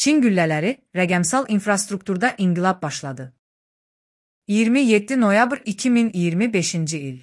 Çin güllələri, rəqəmsal infrastrukturda inqilab başladı. 27 noyabr 2025-ci il.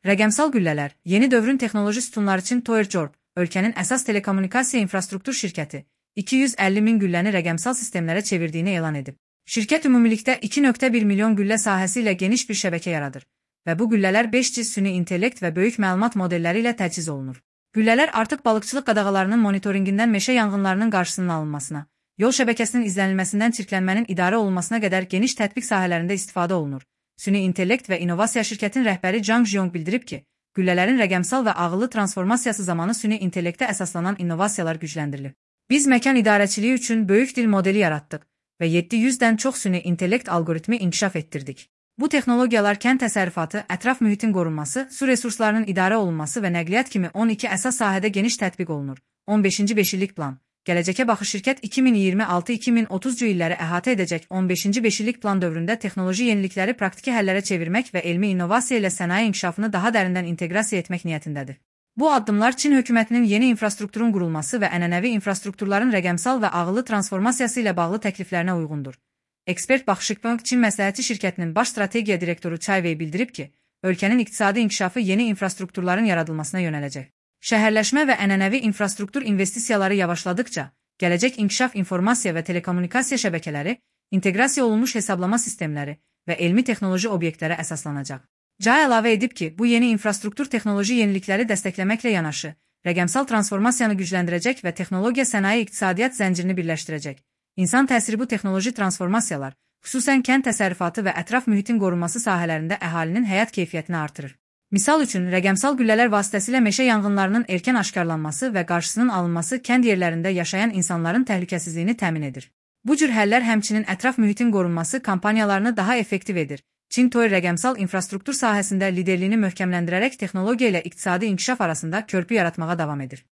Rəqəmsal güllələr, yeni dövrün texnoloji sütunları üçün Toyota, ölkənin əsas telekommunikasiya infrastruktur şirkəti, 250 min gülləni rəqəmsal sistemlərə çevirdiyini elan edib. Şirkət ümumilikdə 2,1 milyon güllə sahəsi ilə geniş bir şəbəkə yaradır və bu güllələr 5G süni intellekt və böyük məlumat modelləri ilə təchiz olunur. Güllələr artıq balıqçılıq qadağalarının monitoringindən meşə yanğınlarının qarşısının alınmasına, yol şəbəkəsinin izlənilməsindən çirklənmənin idarə olunmasına qədər geniş tətbiq sahələrində istifadə olunur. Süni intellekt və innovasiya şirkətin rəhbəri Zhang Zhiyong bildirib ki, güllələrin rəqəmsal və ağıllı transformasiyası zamanı süni intellektə əsaslanan innovasiyalar gücləndirilib. Biz məkan idarəçiliyi üçün böyük dil modeli yaratdıq və 700-dən çox süni intellekt algoritmi inkişaf etdirdik. Bu texnologiyalar kənd təsərrüfatı, ətraf mühitin qorunması, su resurslarının idarə olunması və nəqliyyat kimi 12 əsas sahədə geniş tətbiq olunur. 15-ci 5 illik plan. Gələcəkə baxış şirkət 2026-2030-cu illəri əhatə edəcək 15-ci 5 illik plan dövründə texnoloji yenilikləri praktiki həllərə çevirmək və elmi innovasiya ilə sənaye inkişafını daha dərindən inteqrasiya etmək niyyətindədir. Bu addımlar Çin hökumətinin yeni infrastrukturun qurulması və ənənəvi infrastrukturların rəqəmsal və ağıllı transformasiyası ilə bağlı təkliflərinə uyğundur. Ekspert Baxışıqbank Çin məsləhətçi şirkətinin baş strategiya direktoru Cai Wei bildirib ki, ölkənin iqtisadi inkişafı yeni infrastrukturların yaradılmasına yönələcək. Şəhərləşmə və ənənəvi infrastruktur investisiyaları yavaşladıkca, gələcək inkişaf informasiya və telekommunikasiya şəbəkələri, inteqrasiya olunmuş hesablama sistemləri və elmi texnoloji obyektlərə əsaslanacaq. Cai əlavə edib ki, bu yeni infrastruktur texnoloji yenilikləri dəstəkləməklə yanaşı, rəqəmsal transformasiyanı gücləndirəcək və texnologiya sənaye iqtisadiyyat zəncirini birləşdirəcək. İnsan təsiri bu texnoloji transformasiyalar, xüsusən kənd təsərrüfatı və ətraf mühitin qorunması sahələrində əhalinin həyat keyfiyyətini artırır. Misal üçün, rəqəmsal güllələr vasitəsilə meşə yanğınlarının erkən aşkarlanması və qarşısının alınması kənd yerlərində yaşayan insanların təhlükəsizliyini təmin edir. Bu cür həllər həmçinin ətraf mühitin qorunması kampaniyalarını daha effektiv edir. Çin Toy rəqəmsal infrastruktur sahəsində liderliyini möhkəmləndirərək texnologiya ilə iqtisadi inkişaf arasında körpü yaratmağa davam edir.